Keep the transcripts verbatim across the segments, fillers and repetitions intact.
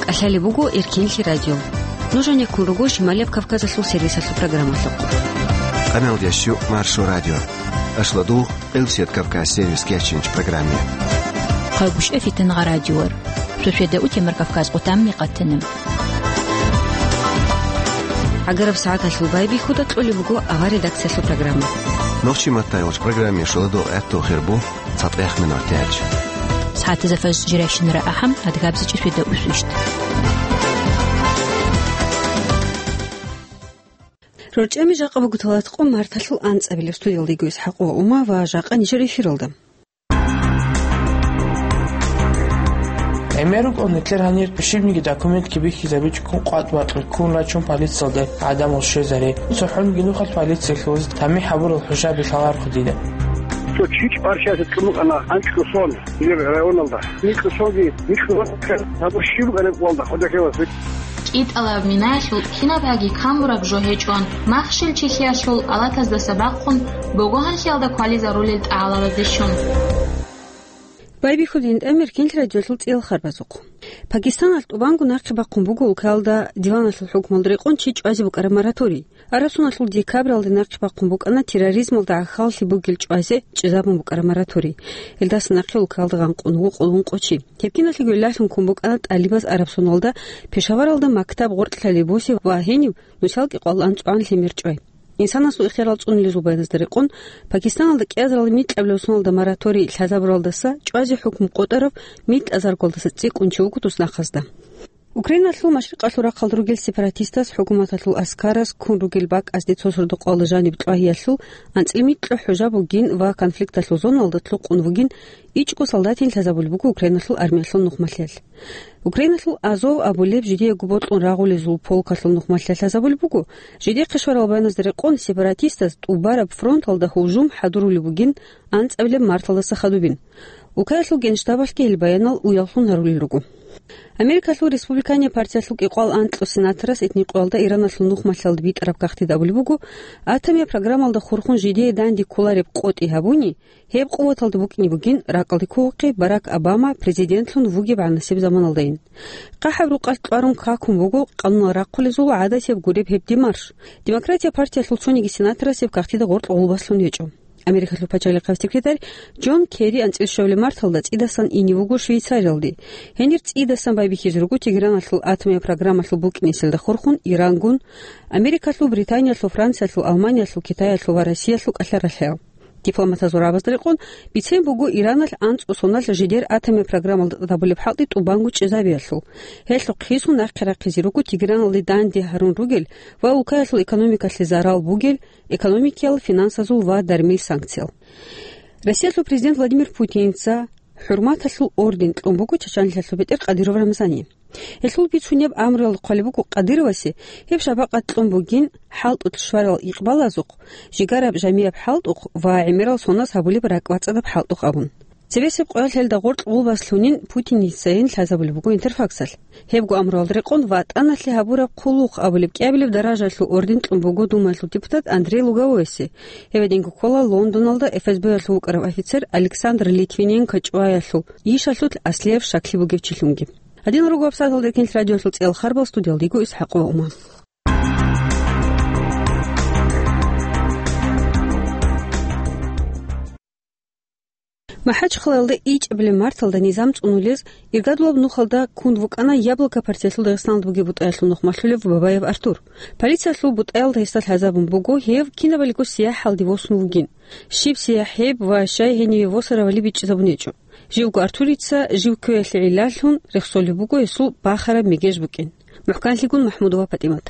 КӀалъалеб буго Эркинлъи радио. Нуж гьанеккун руго Шималияб Кавказалъул сервисалъул программалъухъ. Къаналдияс щук Маршо радио. Ашладугъ Къилсият Кавказ сервис кечинч программе. Хъагушев Фитнагъа радиор. Суседа утемар Кавказ къутам микъатана. ГӀагараб сагӀаталъул байбихьуда кьолеб буго авар редакциялъул программа. Нохчи маттайгъуч программе шуладо гӀатту хирбу. ЦатӀехъ минуталъ. СагӀатазда фажр жирайщинара ахӀам, адгабзичӀи светда усвищт. РорчӀами жакъа буго талатӀкъо марталъул анцӀабилеб. Студиялда йиго ИсхӀакъ ва Ума ва жакъа нижер эфиралда. ГӀемер рукӀун нилъер гьанир щибниги документги бихьизабичӀого къватӀ-бакьи ккун рачун полициялде гӀадамал щвезаре. ЦохӀонги нухалъ полициялъулаз тамихӀ гьабурал хӀужаби лъалархъу дида. Цо чи чӀварчиясда кьун букӀана анкьго сон нижер районалда. Микьго сонги, микьго гьабурщи букӀана гьалда хъодахъе васик. КӀитӀалаб минаялъул кинаб гьаги камураб жо гьечӀон, махщел чехьиялъул алатаздаса бахъун, богогьанлъиялда квализарулел тӀагӀалабазде щун. Байбихьудин тӀамир кинлъи радиолъул цӀиял харбазухъ. Пакистаналъ тӀубанго нахъе бахъун буго улкаялда диваналъул хӀукмалда рекъон чи чӀвазе букӀараб мораторий. Арабсоналъул декабралде нахъе бахъун букӀана терроризмалда гӀахьаллъи бугел чӀвазе чӀезабун букӀараб мораторий. Гьелдаса нахъе улкаялда гъанкъун вукъун ункъо чи. Гьеб киналъе гӀололъун ккун букӀана тӀалибаз Арабсоналда, Пешаваралда мактаб гъоркьлъалеб бусе ва гьенив нусал кӀикъвалда анцӀгоан лъимер чӀвай. Инсанасул ихтиярал цӀунулезул баяназда рекъон, Пакистаналда кӀиазаралда микьабилеб соналда мораторий лъазабуралдаса чӀвазе хӀукму къотӀарав микьазаргоялдаса цӀикӀкӀун чи вуго туснахъазда. Украиналъул машрикъалъул рахъалда ругел сепаратистаз хӀукуматалъул аскараз ккун ругел бакӀазде цо сордо-къоялда жаниб кьвагьиялъул анцӀила микьго хӀужа бугин ва конфликталъул зоналда лъукъун вугин ичӀго солдатин лъазабулеб буго Украиналъул армиялъул нухмалъиялъ. Украиналъул Азов абулеб жидеего бокьун рагъулезул полкалъул нухмалъиялъ лъазабулеб буго, жидехъе щварал баяназда рекъон сепаратистаз тӀубараб фронталда гьужум хӀадурулеб бугин анцӀабилеб марталдаса хадубин. Улкаялъул генштабалъги гьел баянал уяллъун гьарулел руго. Америкалъул республиканияб партиялъул кӀикъвал анкьго сенаторас этникъоялда Ираналъул нухмалъиялда битӀараб кагътида абулеб буго, атомияб программалда хурхун жидее данде кколареб къотӀи гьабуни, гьеб къуваталда букӀине бугин ракӀалде ккогохъе Барак Обама президентлъун вугеб гӀанасеб заманалдайин. ХъахӀаб рукъалъ кьварун какун буго къанунал рахъулезул гӀадатияб гуреб гьеб демарш. Демократияб партиялъул цониги сенаторас гьеб кагътида гъоркь гъулбаслъун гьечӀо. Америкалъул пачалихъав секретарь Джон Керри анцӀила щвабилеб марталда цӀидасан ине вуго Швейцариялде. Гьенир цӀидасан байбихьизе руго Тегераналъул атомияб программалъул букӀинеселда хурхун Ирангун, Америкалъул, Британиялъул, Франциялъул, Алманиялъул, Китаялъул ва Россиялъул кӀалъаралъаял. Дипломатазул рагӀабазда рекъон, бицен буго Ираналъ анцӀго соналъ жидер атомияб программалда тӀадабулеб хӀалтӀи тӀубанго чӀезабиялъул. Гьелъухъ гьесун нахъе рахъизе руго Тегераналде данде гьарун ругел ва улкаялъул экономикалъе зарал бугел экономикиял, финансазул ва дармил санкциял. Россиялъул президент Владимир Путинца ХӀурматалъул орден кьун буго Чачанлъиялъул бетӀер Кадыров Рамзанни. Гьелъул бицунеб амруялда хъвалеб буго Кадыровасе гьеб шапакъат кьун бугин хӀалтӀулъ щварал икъбалазухъ, жигараб жамияб хӀалтӀухъ ва гӀемерал соназ гьабулеб ракӀбацӀцӀадаб хӀалтӀухъ абун. Цебесеб къоялъ гьелда гъоркь гъулбаслъунин Путиницайин лъазабулеб буго Интерфаксалъ. Гьебго амруялда рекъон ВатӀаналъе гьабураб хъулухъ абулеб кӀиабилеб даражаялъул орден кьун буго Думаялъул депутат Андрей Луговойси. Гьеб гьединго ккола Лондоналда ФСБ-ялъул вукӀарав офицер Александр Литвиненко чӀваялъул йишалъулъ аслияб щаклъи бугев чилъунги. Гьадинал руго гьабсагӀаталда Эркинлъи радиоялъул цӀиял харбал, студиялда йиго ИсхӀакъ ва Ума. МахӀачхъалаялда ичӀабилеб марталда низам цӀунулез иргадулаб нухалда ккун вукӀана Яблоко партиялъул Дагъистаналда бугеб бутӀаялъул нухмалъулев Бабаев Артур. Полициялъул бутӀаялда гьесда лъазабун буго гьев кинабалиго сияхӀалде восун вугин. Щиб сияхӀ гьеб ва щай гьениве восаравали бичӀчӀизабун гьечӀо. Живго Артурица жив кквеялъе гӀиллаллъун рехсолеб буго гьесул бахараб мегеж букӀин. МухӀканлъигун МахӀмудова ПатӀимат.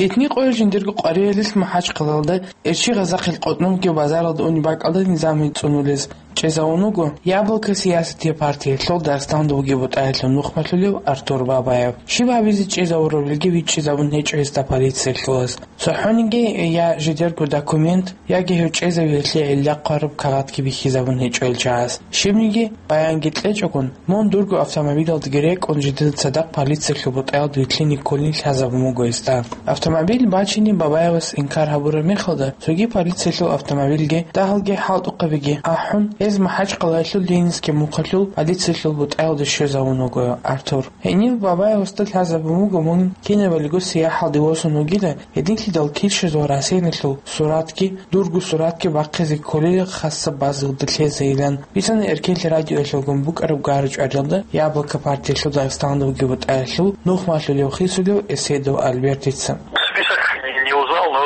Этникъояз жиндирго къвариялъ МахӀачхъалаялда Эрчи-Гъазахъил къотӀнобги базаралда унеб бакӀалда низам гьечӀони цӀунулез чӀезавун вуго Яблоко сиясатияб партиялъул Дагъистаналда бугеб бутӀаялъул нухмалъулев Артур Бабаев. Щиб гьабизе чӀезавурабилги бичӀчӀизабун гьечӀо гьесда полициялъулаз. ЦохӀониги я жидерго документ, яги гьев чӀезавиялъе гӀилла хъвараб кагъатги бихьизабун гьечӀо гьел чагӀаз. Щибниги баянги кьечӀогун, мун дурго автомобилалдаги рекӀун жидеда цадахъ полициялъул бутӀаялда вилълъине кколин лъазабун буго гьесда. Автомобиль бачине Бабаевас инкар гьабураб мехалда, цоги полициялъул автомобильги дагьалги хӀалтӀухъабиги ахӀун, Гьез МахӀачкъалаялъул Ленинский мухъалъул полициялъул бутӀаялде щвезавун вуго Артур. Гьенив Бабаевасда лъазабун буго мун кинабалиго сияхӀалде восун вугила, гьединлъидал килщазул Россиялъул суратги, дурго суратги бахъизе кколел хасаб базалда лъезайилан. Бицана Эркенлъи радиоялъулгун букӀараб гара-чӀваралда Яблоко партиялъул Дагъистаналда бугеб бутӀаялъул нухмалъулев хисулев Эседов Альбертица. Список не, не узнал, но,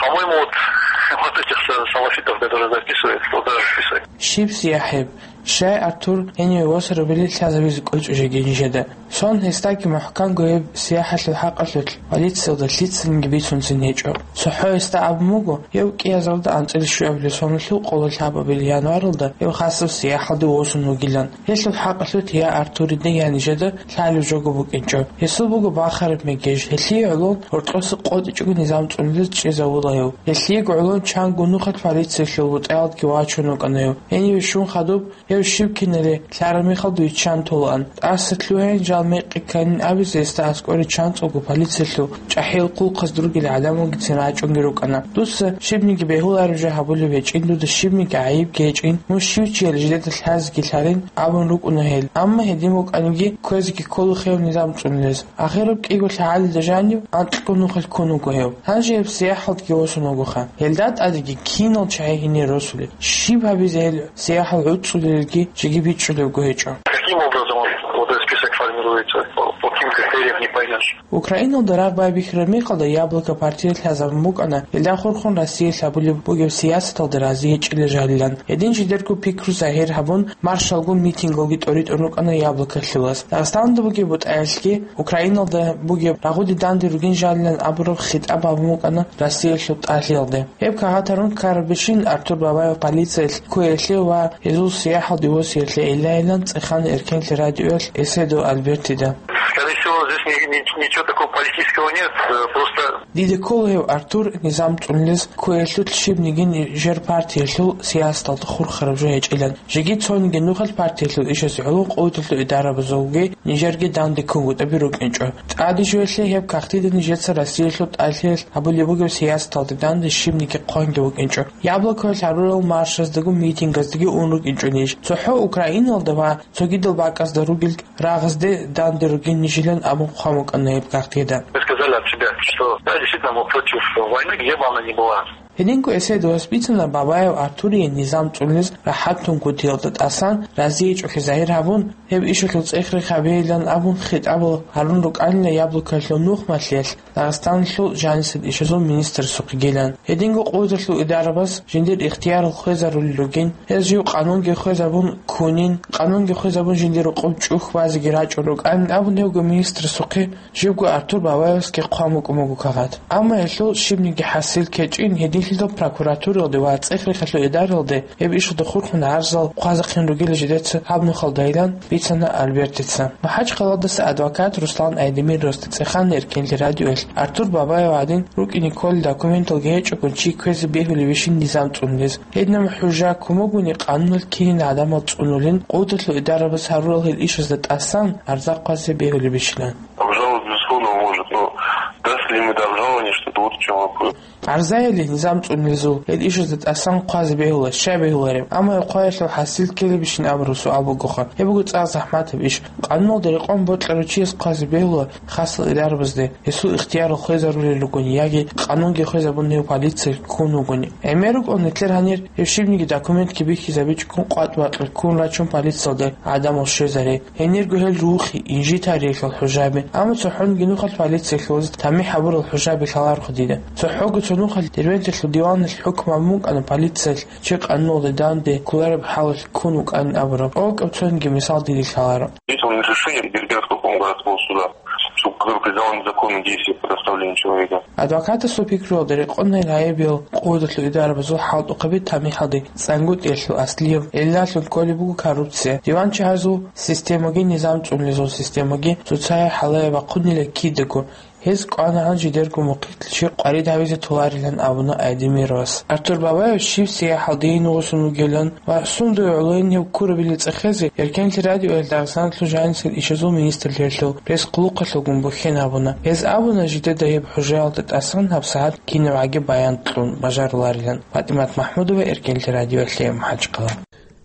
по-моему, вот, вот этих са-, салафитов, которые записывают, туда список. Щиб сияхӀеб? Щай Артур гьениве восарабали лъазабизе кӀочӀо жеги нижеда? Сон гьесдаги мухӀканго гьеб сияхӀалъул хӀакъалъулъ полициялда лъицаниги бицунцин гьечӀо. ЦохӀо гьесда абун буго, гьев кӀиазарда анцӀила щуабилеб соналъул къоло лъабабилеб январалда гьев хасаб сияхӀалде восун вугилан. Гьелъул хӀакъалъулъ я Артурида, я нижеда лъалеб жого букӀинчӀо. Гьесул буго бахараб мегеж, гьелъие гӀоло гьоркьоса къотӀичӀого низам цӀунулез чӀезавула гьев. Гьелъиего гӀоло чанго нухалъ полициялъул бутӀаялдги вачун вукӀана гьев. Гьениве щун хадуб, гьев щиб кинали лъараб мехалда виччан толаан. ТӀаса лъугьайин жал мекъи кканин абизе гьесда аскӀоре чанцӀулго полициялъул чӀахӀиял хъулухъазда ругел гӀадамалгицин рачӀунги рукӀана. Дуца щибниги бегьулареб жо гьабулеб гьечӀин, дуда щибниги гӀайибги гьечӀин, мун щив чияли жидеда лъазеги лъалин абун рукӀуна гьел. Амма гьедин букӀаниги, кквезеги ккола гьев низам цӀунулез. Ахираб кӀиго лъагӀалида жанив анкьго нухалъ ккун вуго гьев. Гьанже гьеб сияхӀалдеги восун вугоха. Гьелда тӀадеги кинал чагӀи гьенире росулеб? Щиб гьабизе гьел сияхӀал гӀуцӀулелги жеги бичӀчӀулебго гьечӀо. Каким образом он, вот этот список формируется? По, по каким критериям, не поймешь. Украиналда рагъ байбихьараб мехалда Яблоко партиялъ лъазабун букӀана, гьелда хурхун Россиялъ гьабулеб бугеб сиясаталда рази гьечӀила жалилан. Гьедин жидерго пикру загьир гьабун, маршалгун митингалги тӀоритӀун рукӀана Яблоколъулас. Дагъистаналда бугеб бутӀаялъги Украиналда бугеб рагъуде данде ругин жалилан абураб хитӀаб гьабун букӀана Россиялъул тӀалъиялде. Гьеб кагъат гьарун ккарабищин Артур Бабаев полициялъ кквеялъе ва гьезул сияхӀалде восиялъе гӀиллайилан цӀехана Эркенлъи радиоялъ Эседов Альбертида. Скорее всего, здесь ни-, ни-, ничего такого политического нет, э, просто... Дида ккола гьев Артур низам цӀунулез кквеялъулъ щибниги нижер партиялъул сиясаталда хурхараб жо гьечӀилан. Жеги цониги нухалъ партиялъул ишазе гӀоло къуваталъул идарабазулги нижерги данде ккунгутӀаби рукӀинчӀо. ТӀаде жоялъе гьеб кагътида нижеца Россиялъул тӀалъиялъ гьабулеб бугеб сиясаталда данде щибниги хъванги вукӀинчӀо. Яблокоялъ гьарурал маршаздаго митингаздаги ун рукӀинчӀо ниж. ЦохӀо Украиналда ва цогидал бакӀазда ругел рагъазде данде ругин нижилан абун хъван букӀана гьеб кагътида. Вы сказали от себя, что да, действительно, мы против войны, где бы она ни была. Гьединго Эседовас бицана Бабаев Артурие низам цӀунулез рахӀат тун кутиялда тӀасан разиячӀухъе загьир гьабун, гьеб ишалъул цӀех-рех гьабейилан абун хитӀабал гьарун рукӀанила Яблокоялъул нухмалъиялъ Дагъистаналъул жанисел ишазул министрасухъегилан. Гьединго къуваталъул идарабаз жиндир ихтиярал хвезарулел ругин, гьез жив къанунги хвезабун ккунин, къанунги хвезабун жиндир рокъоб чӀухь базеги рачӀун рукӀанин абун гьевго министрасухъе Живго Артур Бабаевасги хъван букӀун буго кагъат. Амма гьелъул щибниги хӀасил ккечӀин, гьединлъидал прокуратуралде ва цӀех-рехалъул идаралде гьеб ишалда хурхун гӀарзал хъвазехъин ругила жидеца гьаб нухалдайилан, бицана Альбертица. МахӀачкъаладаса адвокат Руслан Айдемировасда цӀехана Эркенлъи радиоялъ Артур Бабаев гӀадин рукӀине кколел документалги гьечӀого чи кквезе бегьулебищин низам цӀунулез. Гьединаб хӀужа ккун бугони, къануналъ кинин гӀадамал цӀунулин, къуваталъул идарабаз гьарурал гьел ишазда тӀасан арза хъвазе бегьулебищилан. Обжаловать, безусловно, может, но даст ли им это обжалование, что вот в чём вопрос. Арзаялъе низам цӀунулезул гьел ишазда тӀасан хъвазе бегьула, щай бегьулареб? Амма гьеб хъваялъул хӀасил ккелебищин абураб суал бугоха. Гьеб буго цӀакъ захӀматаб иш. Къануналда рекъон бокьарав чияс хъвазе бегьула хасал идарабазде, гьесул ихтиярал хвезарулел ругони яги къанунги хвезабун гьев полициялъ ккун вугони. ГӀемер рукӀун нилъер гьанир гьеб щибниги документги бихьизабичӀого къватӀ-бакьи ккун рачун полициялде гӀадамал щвезаре. Гьенирго гьел рухи, инжитариял хӀужаби. Амма цохӀониги нухалъ полициялъулаз тамихӀ гьабурал хӀужаби лъаларохъ дида. ЦохӀого цо нухалъ Дербенталъул диваналъ хӀукму гьабун букӀана полициялъ чи къануналда данде кколареб хӀалалъ ккун вукӀанин абураб. ТӀокӀаб цониги мисал дида лъаларо. Здесь он решение Дербентского окружного городского суда, что, который признал незаконным действие по доставлению человека. Адвокатасул пикруялда рекъон гьел гӀайибиял къуваталъул идарабазул хӀалтӀухъаби тамихӀалде ЦӀангутӀиялъул Аслиев, гьелдалъун кколеб буго коррупция, диванчагьазул системаги, низам цӀунулезул системаги цоцае хӀалае бахъунила кидаго. Гьез кӀванагӀан жидерго мухъилъ чи къварид гьавизе толарилан абуна Айдемировас. Артур Бабаев щиб сияхӀалдейин гъосун вугилан ва сундуе гӀолойин гьев ккурабилин цӀехезе, Эркенлъи радиоялъ Дагъистаналъул жанисел ишазул министрлъиялъул пресс-хъулухъалъулгун бухьен гьабуна. Гьез абуна жидеда гьеб хӀужаялда тӀасан гьабсагӀат кинабгӀаги баян кьун бажаруларилан. ПатӀимат МахӀмудова, Эркенлъи радиоялъе, МахӀачкъала.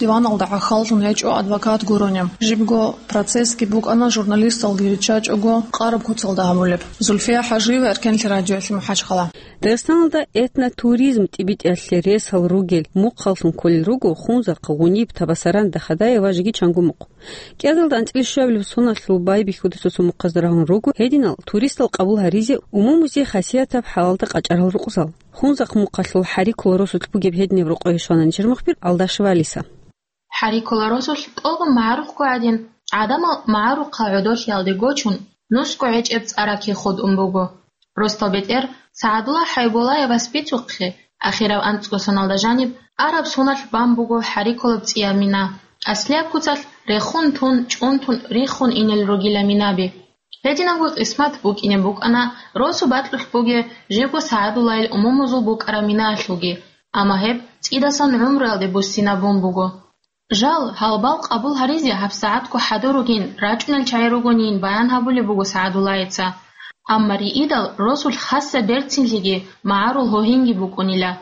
Диваналда гӀахьаллъун гьечӀо адвокат гурони. Жибго процессги букӀана журналисталги риччачӀого къараб куцалда гьабулеб. Зульфия ХӀажиева, Эркенлъи радиоялъе, МухӀажхъала. Дагъистаналда этнотуризм тӀибитӀиялъе ресал ругел мухъаллъун кколел руго Хунзахъ, Гъуниб, Табасаран, Дахадаев ва жеги чанго мухъ. КӀиазалда анцӀила щуабилеб соналъул байбихьуда цо-цо мухъазда рагьун руго гьединал туристал къабул гьаризе умумузе хасиятаб хӀалалда къачӀарал рукъзал. Хунзахъ мухъалъул ХӀарикула росулъ бугеб гьединаб рокъове щвана нижер мухбир Алдашева Алиса. ХӀарикула росулъ тӀолго магӀарухъго гӀадин, гӀадамал магӀарухъа гӀодолъиялде гочун, нусго гӀечӀеб цӀа ракихъудун буго. Росдал бетӀер СагӀадуллагь ХӀайбуллаевас бицухъе, ахирав анцӀго соналда жаниб араб соналъ бан буго ХӀарикулаб цӀияб мина. Аслияб куцалъ рехун тун, чӀунтун, риххун инел ругила минаби. Гьединабго къисмат букӀине букӀана росу бакьулъ бугеб жибго СагӀадуллагьил умумузул букӀараб минаялъулги, амма гьеб цӀидасан гӀумруялде буссинабун буго. Жал, гьалбал къабул гьаризе гьабсагӀатго хӀадур ругин, рачӀунел чагӀи ругонин баян гьабулеб буго СагӀадуллагьица. Амма риидал росулъ хасса берцинлъиги магӀарул гьогьинги букӀунила.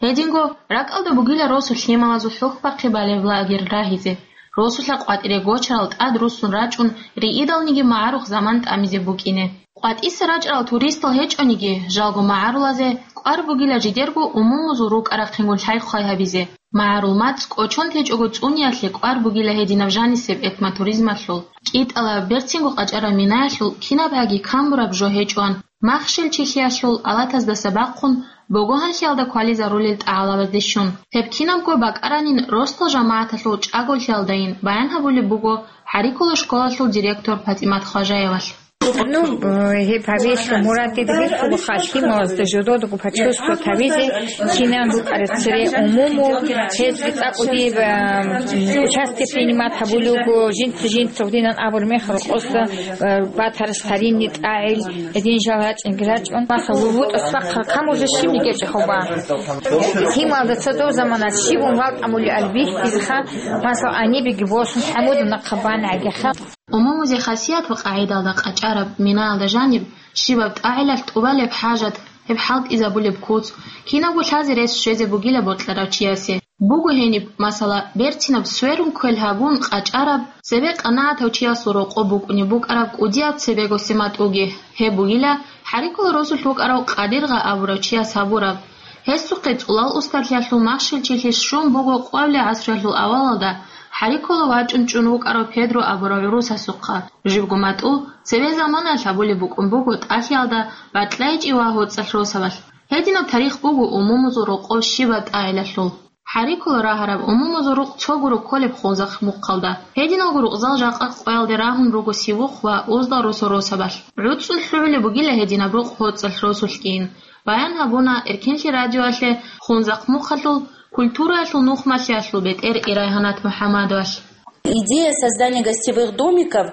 Гьединго ракӀалда бугила росу лъималазул хӀухьбахъи балеб лагерь рагьизе, росулъа къватӀире гочарал тӀад руссун рачӀун, риидалниги магӀарухъ заман тӀамизе букӀине. КъватӀиса рачӀарал туристал гьечӀониги, жалго магӀарулазе кӀвар бугила жидерго умумузул рукӀа-рахъингун лъай-хъвай гьабизе, магӀарул мацӀ кӀочон течӀого цӀуниялъе кӀвар бугила гьединаб жанисеб этнотуризмалъул, кӀитӀалаб берцинго къачӀараб минаялъул кинабгӀаги камураб жо гьечӀоан, махщел-чилъиялъул алатаздаса бахъун, богогьанлъиялда квализарулел тӀагӀалабазде щун. Гьеб кинабго бакӀаранин росдал жамагӀаталъул чӀаголъиялдайин баян гьабулеб буго ХӀарикула школалъул директор ПатӀимат Хважаевалъ. Ну, э, гьеб гьабиялъул мурадида бихьулаха лъималазда жододаго почувствовать гьабизе, кинан рукӀараб цере умуму, гьез цӀакъ диб, э, участие принимать гьабулев вуго, жинца-жинца гьудинан абураб мехалъ рокъоса, э, батарас таринни тӀагӀел, гьедин жал рачӀинги рачӀун. Маса, ву-, вутӀа цӀакъ камурзе щибниги гьечӀо хӀоба. Лъималда цо дов замана щибун вал тӀамулел бихьизеха, маса, гьанибеги босун, хӀамуда нахъа бан гӀагиха. Умумузе хасият ва къагӀидалда къачӀараб минаялда жаниб, щибаб тӀагӀилалъ тӀубалеб хӀажат, гьеб хӀалтӀизабулеб куц, кинабго лъазе рес щвезе бугила бокьарав чиясе. Буго гьениб, масала, берцинаб сверун квел гьабун къачӀараб, цебе къанагӀатав чиясул рокъоб букӀунеб букӀараб кӀудияб цебегосе матӀуги, гьеб бугила ХӀарикула росулъ вукӀарав Къадиргъа абурав чияс гьабураб. Гьесухъе цӀулал устарлъиялъул махщел-чилъи щун буго къоялъул гӀасруялъул авалалда ХӀарикула вачӀун чӀун вукӀарав Педро абурав гӀурусасухъа. Жибго матӀу цебе заманаялъ гьабулеб букӀун буго тӀалъиялда бакьайчӀи ва гьоцӀалъ росабалъ. Гьединаб тарих буго умумузул рокъов щибаб тӀагӀилалъул. ХӀарикула рагьараб умумузул рукъ цо гуро кколеб Хунзахъ мухъалда. Гьединалго рукъзал жакъа къоялде рагьун руго Сивухъ ва Уздал росо-росабалъ. ГӀуцӀун лъугӀулеб бугила гьединаб рукъ гьоцӀалъ росулъгийин. Баян гьабуна Эркенлъи радиоялъе Хунзахъ мухъалъул культураялъул нухмалъиялъул бетӀер Ирайгьанат МухӀаммадовалъ. Идея создания гостевых домиков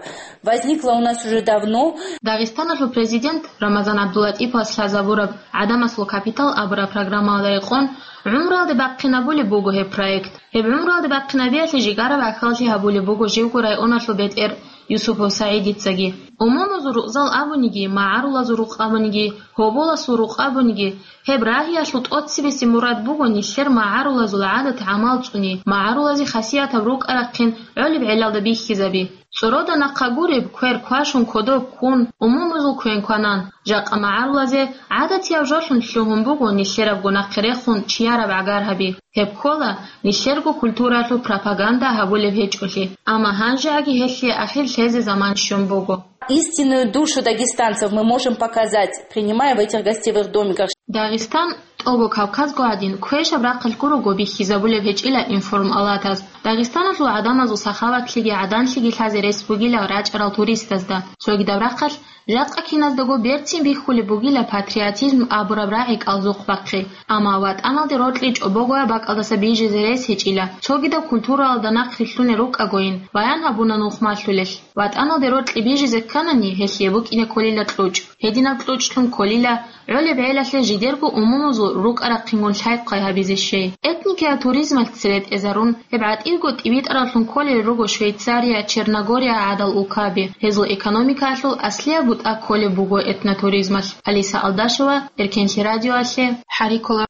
возникла у нас уже давно. Дагъистаналъул президент Рамазан ГӀабдуллатӀиповас лъазабураб «ГӀадамасул капитал» абураб программаялда рекъон гӀумруялде бахъинабулеб буго гьеб проект. Гьеб гӀумруялде бахъинабиялъе жигараб гӀахьаллъи гьабулеб буго живго районалъул бетӀер Юсупов СагӀидицаги. Умумузул рукъзал абуниги, магӀарулазул рукъ абуниги, гьоболасул рукъ абуниги, гьеб рагьиялъул тӀоцебесеб мурад буго нилъер магӀарулазул гӀадат-гӀамал цӀуни, магӀарулазе хасиятаб рукӀа-рахъин гӀолеб гӀелалда бихьизаби. ЦӀорода нахъа гуреб, квер квашун кодоб ккун, умумузул квен кванан, жакъа магӀарулазе гӀадатияб жолъун лъугьун буго нилъерабго нахъе рехун чияраб гӀагар гьаби. Гьеб ккола нилъерго культураялъул пропаганда гьабулеб гьечӀолъи, амма гьанжеги гьелъие ахир лъезе заман щун буго. Истинную душу дагестанцев мы можем показать, принимая в этих гостевых домиках. Дагъистан, тӀолго Кавказго гӀадин, квешаб рахъалъ гурого бихьизабулеб гьечӀила информалатаз. Дагъистаналъул гӀадамазул сахаватлъиги гӀаданлъиги лъазе рес бугила рачӀарал туристазда. Цогидаб рахъалъ жакъа киназдаго берцин бихьулеб бугила патриотизм абураб рагӀи кӀалзухъ бахъи. Амма ватӀаналде рокьи чӀобогояб бакӀалдаса бижизе рес гьечӀила, цогидаб культуралда нахърилълъунел рукӀагойин, баян гьабуна нухмалъулелъ. ВатӀаналде рокьи бижизе кканани, гьелъие букӀине кколила кьучӀ. Гьединаб кьучӀлъун кколила гӀолеб гӀелалъе жидерго умумузул рукӀа-рахъингун лъай-хъвай гьабизе щей. Этникияб туризмалъ цере тӀезарун, гьеб гӀатӀирго тӀибитӀараллъун кколел руго Швейцария, Черногория гӀадал улкаби. Гьезул экономикаялъул аслияб бутӀа кколеб буго этнотуризмалъ. Алиса Алдашева, Эркенлъи радиоялъе, ХӀарикула.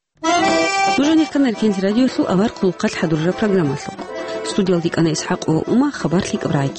Нуж гьанихъан Эркенлъи радиоялъул авар хъулухъалъ хӀадурараб программалъухъ. Студиялда йикӀана ИсхӀакъ ва Ума, хабар лъикӀаб рагӀи.